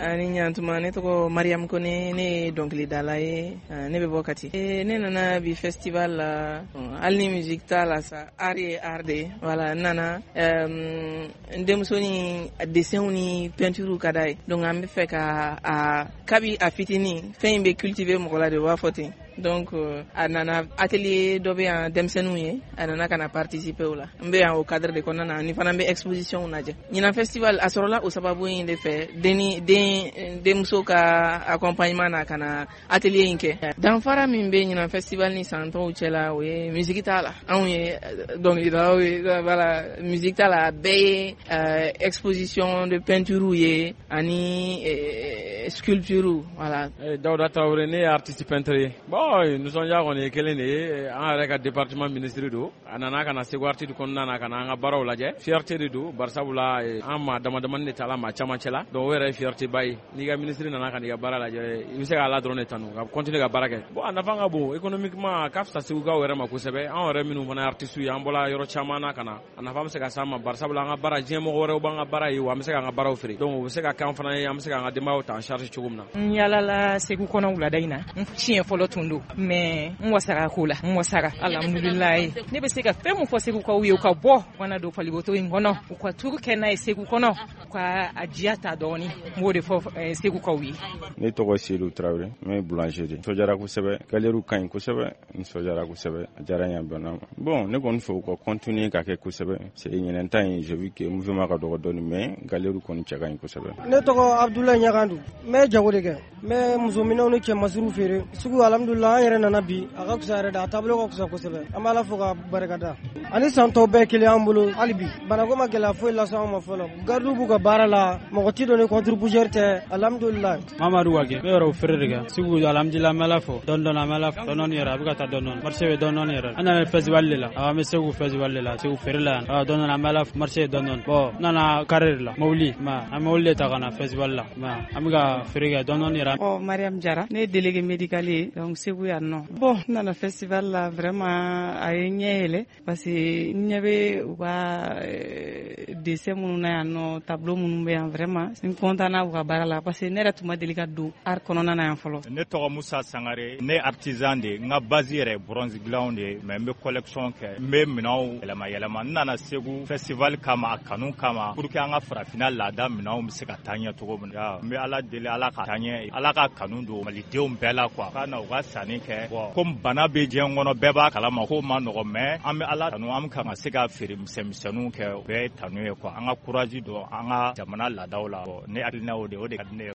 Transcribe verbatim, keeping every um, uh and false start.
Ani ɲantuma, ne tɔgɔ Mariam Kone, ne ye dɔnkilidala ye, ne bɛ bɔ Kati. Ne nana bi festival la, hali ni musique t'a la sa, art ye art de ye. Voilà, n nana n denmusonin dessin ni peinture ka d'a ye, donc an bɛ fɛ ka a kabi a fitinin fɛn in bɛ cultiver mɔgɔ la de, u b'a fɔ ten. Donc a nana atelier dɔ bɛ yan denmisɛnninw ye, a nana ka na participer o la. N bɛ yan o cadre de kɔnɔna na, ani fana n bɛ exposition lajɛ. Ɲinan festival a sɔrɔla o sababu in de fɛ, den den denmuso ka accompagnement na ka na atelier in kɛ. Danfara min bɛ ɲinan festival ni san tɔw cɛ la, o ye musique t'a la. Anw ye dɔnkilidalaw ye, voilà, musique t'a la, a bɛɛ ye exposition de peinture ye ani sculpture, voilà. Dawuda Tarawele, ne ye artiste peintre ye. Bon, nisɔndiya kɔni ye kelen de ye, an yɛrɛ ka département ministre don, a nana ka na Segu Arts kɔnɔna na ka na an ka baaraw lajɛ. Fierté de don, barisabula an maa dama damani de ta la maa caman cɛ la, donc o yɛrɛ ye fierté ba ye. N'i ka ministre nana ka n'i ka baara lajɛ, i bɛ se k'a la dɔrɔn de tanu ka continuer ka baara kɛ. Bon, a nafa ka bon économiquement, a ka fisa Segukaw yɛrɛ ma kosɛbɛ. Anw yɛrɛ minnu fana ye artistes ye, an bɔra yɔrɔ caman na ka na, a nafa bɛ se ka s'an ma, barisabula an ka baara, diɲɛ mɔgɔ wɛrɛw b'an ka baara ye, wa an bɛ se k'an ka baaraw feere, donc o bɛ se ka kɛ an fana ye, an bɛ se k'an ka denbayaw ta en charge cogo min na. N yaalala Segu kɔnɔ wulada in na, n siɲɛ fɔlɔ tun don, mais n wasara ko la, n wasara, alhamdulilayi. Ne bɛ se ka fɛn mun fɔ Segukaw ye? U ka bɔ u kana don faliboto in kɔnɔ, u ka turu kɛ n'a ye Segu kɔnɔ, u ka a diya ta dɔɔni. N b'o de fɔ Segukaw ye. Ne tɔgɔ Seydou Tarawele, n bɛ boulanger de. Nisɔndiyara kosɛbɛ, galerie ka ɲi kosɛbɛ, nisɔndiyara kosɛbɛ, a diyara n ye, a bɛnna ma. Bon, ne kɔni fɛ u ka continuer ka kɛ kosɛbɛ, c'est ɲinɛn ta in, j'ai vu que mouvement ka dɔgɔ dɔɔni, mais galerie kɔni cɛ ka ɲi kosɛbɛ. Ne tɔgɔ Abdoulaye Ɲagandu, n bɛ jago de kɛ, n bɛ musominɛnw ni cɛmasiriw feere sugu. Alhamdulillah, an yɛrɛ nana bi, a ka fisa yɛrɛ de, a taabolo ka fisa kosɛbɛ. An b'a la fo ka barikada. Ani san tɔw bɛɛ kelen an bolo hali bi, banako ma gɛlɛya foyi lase anw ma fɔlɔ. Gardiw b'u ka baara la, mɔgɔ ti don ni contre-poussière tɛ, alhamdulillah. Mamadu Wage, n bɛ yɔrɔ feere de kɛ Segu. Alhamdulillah, an bɛ Ala fo. Dɔɔni dɔɔni, an bɛ Ala fo, dɔɔni dɔɔni yɛrɛ, a bɛ ka taa dɔɔni dɔɔni, marché bɛ dɔɔni dɔɔni yɛrɛ. An nana festival de la, an bɛ Segu festival de la, Segu feere la yan dɔɔni dɔɔni, an bɛ Ala fo, marché dɔɔni dɔɔni. Bon, n nana carré de la, mobili ma, an bɛ mobili de ta ka na festival la, ma an bɛ ka feere kɛ dɔɔni dɔɔni yɛrɛ. Ɔ Mariam Jara, ne ye délégué médical ye donc Segu yan nɔ. Bon, n nana festival la, vraiment a ye ɲɛ yɛlɛ, parce que n ɲɛ bɛ u ka dessin minnu na yan nɔ, tableau minnu bɛ yan, vraiment n content na u ka baara la, parce que ne yɛrɛ tun ma deli ka don art kɔnɔna na yan fɔlɔ. Ne tɔgɔ Musa Sangare, ne artisan de, n ka base yɛrɛ bronze dilanw de ye, mais n bɛ collection kɛ, n bɛ minɛnw yɛlɛma yɛlɛma. N nana Segu festival kama, a kanu kama, pour que an ka farafinna laada minɛnw bɛ se ka taa ɲɛ cogo min na. N bɛ Ala deli, Ala ka taa ɲɛ, Ala ka kanu don malidenw bɛɛ la quoi, ka na u ka sanni kɛ. Bon, komi bana bɛ diɲɛ kɔnɔ, bɛɛ b'a kalama ko ma nɔgɔ, mais an bɛ Ala tanu, an bɛ kan ka se ka feere misɛnmisɛnninw kɛ, o bɛɛ ye tanu ye quoi. An ka courage don an ka jamana laadaw la. Bon, ne hakilina o de o de ka di ne ye.